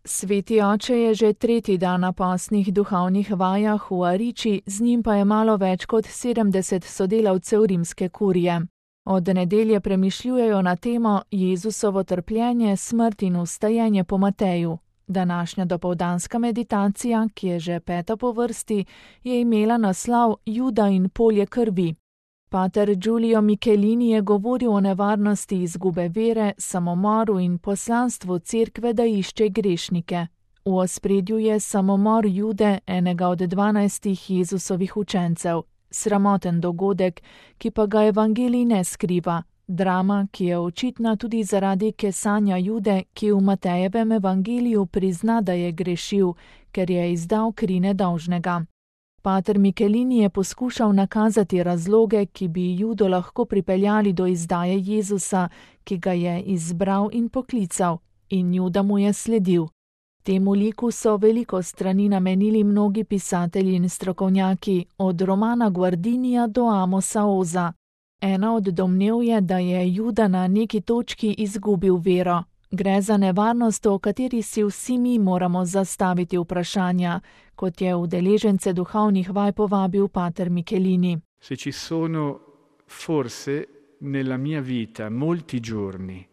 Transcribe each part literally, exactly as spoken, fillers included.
Sveti oče je že tretji dan na postnih duhovnih vajah v Ariči, z njim pa je malo več kot sedemdeset sodelavcev rimske kurije. Od nedelje premišljujejo na temo Jezusovo trpljenje, smrt in vstajenje po Mateju. Današnja dopoldanska meditacija, ki je že peta po vrsti, je imela naslov Juda in polje krvi. Pater Giulio Michelini je govoril o nevarnosti izgube vere, samomoru in poslanstvu cerkve, da išče grešnike. V ospredju je samomor Jude, enega od dvanajstih Jezusovih učencev. Sramoten dogodek, ki pa ga evangelij ne skriva. Drama, ki je očitna tudi zaradi kesanja Jude, ki v Matejevem evangeliju prizna, da je grešil, ker je izdal kri nedolžnega. Pater Michelini je poskušal nakazati razloge, ki bi Judo lahko pripeljali do izdaje Jezusa, ki ga je izbral in poklical, in Juda mu je sledil. Temu liku so veliko strani namenili mnogi pisatelji in strokovnjaki, od Romana Guardinija do Amosa Oza. Ena od domnev je, da je Juda na neki točki izgubil vero. Gre za nevarnost, o kateri si vsi mi moramo zastaviti vprašanja, kot je udeležence duhovnih vaj povabil pater Michelini. Se ci sono forse nella mia vita molti giorni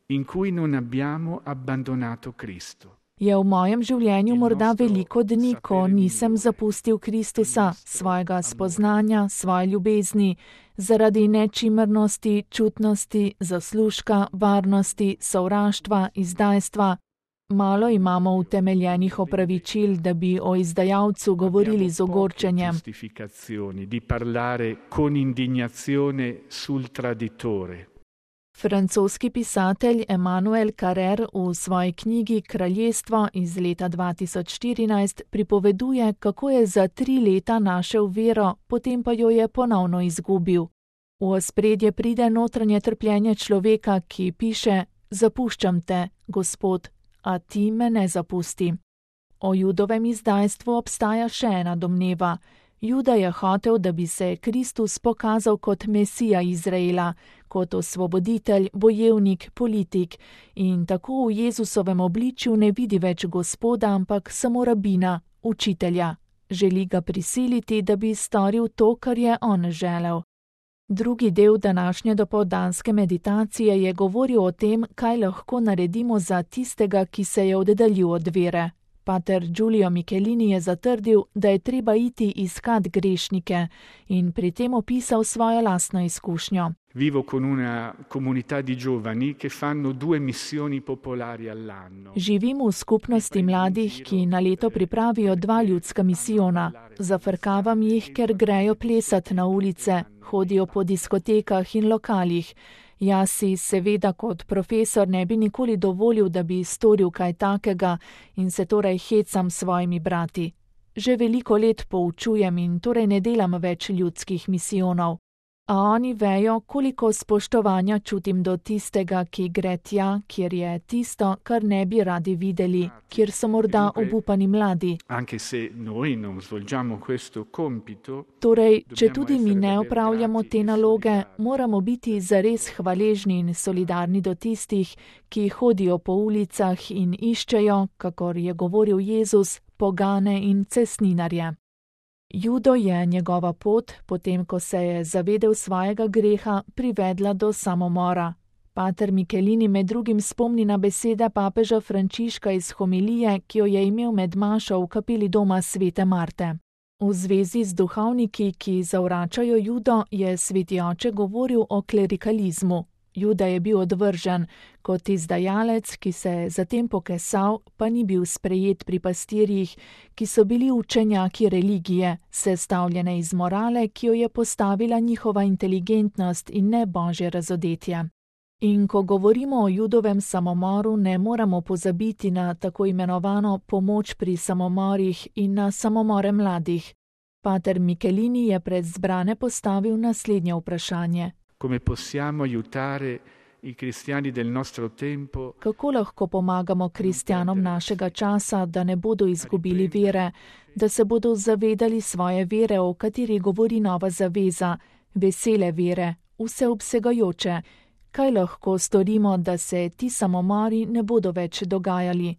in cui non abbiamo abbandonato Cristo. Je v mojem življenju morda veliko dni, ko nisem zapustil Kristusa, svojega spoznanja, svoje ljubezni, zaradi nečimrnosti, čutnosti, zaslužka, varnosti, sovraštva, izdajstva. Malo imamo utemeljenih opravičil, da bi o izdajalcu govorili z ogorčenjem. Di parlare con indignazione sul traditore. Francoski pisatelj Emmanuel Carrère v svoji knjigi Kraljestvo iz leta dva tisoč štirinajst pripoveduje, kako je za tri leta našel vero, potem pa jo je ponovno izgubil. V ospredje pride notranje trpljenje človeka, ki piše: "Zapuščam te, Gospod, a ti me ne zapusti." O Judovem izdajstvu obstaja še ena domneva. Juda je hotel, da bi se Kristus pokazal kot Mesija Izraela, kot osvoboditelj, bojevnik, politik, in tako v Jezusovem obličju ne vidi več Gospoda, ampak samo rabina, učitelja. Želi ga prisiliti, da bi storil to, kar je on želel. Drugi del današnje dopoldanske meditacije je govoril o tem, kaj lahko naredimo za tistega, ki se je oddaljil od vere. Pater Giulio Michelini je zatrdil, da je treba iti iskat grešnike, in pri tem opisal svojo lastno izkušnjo. Vivo con una comunità di giovani che fanno due missioni popolari all'anno. Živim v skupnosti mladih, ki na leto pripravijo dva ljudska misijona. Zafrkavam jih, ker grejo plesat na ulice, hodijo po diskotekah in lokalih. Jaz si seveda kot profesor ne bi nikoli dovolil, da bi storil kaj takega, in se torej hecam s svojimi brati. Že veliko let poučujem in torej ne delam več ljudskih misijonov. A oni vejo, koliko spoštovanja čutim do tistega, ki gre tja, kjer je tisto, kar ne bi radi videli, kjer so morda obupani mladi. Torej, če tudi mi ne opravljamo te naloge, moramo biti zares hvaležni in solidarni do tistih, ki hodijo po ulicah in iščejo, kakor je govoril Jezus, pogane in cestninarje. Judo je njegova pot, potem ko se je zavedel svojega greha, privedla do samomora. Pater Michelini med drugim spomni na besede papeža Frančiška iz homilije, ki jo je imel med mašo v kapeli doma svete Marte. V zvezi z duhovniki, ki zavračajo Judo, je sveti oče govoril o klerikalizmu. Juda je bil odvržen, kot izdajalec, ki se je zatem pokesal, pa ni bil sprejet pri pastirjih, ki so bili učenjaki religije, sestavljene iz morale, ki jo je postavila njihova inteligentnost in ne božje razodetje. In ko govorimo o Judovem samomoru, ne moramo pozabiti na tako imenovano pomoč pri samomorih in na samomore mladih. Pater Michelini je pred zbrane postavil naslednje vprašanje. Come possiamo aiutare i cristiani del nostro tempo? Kako lahko pomagamo kristjanom našega časa, da ne bodo izgubili vere, da se bodo zavedali svoje vere, o kateri govori Nova zaveza, vesele vere, vseobsegajoče? Kaj lahko storimo, da se ti samomori ne bodo več dogajali?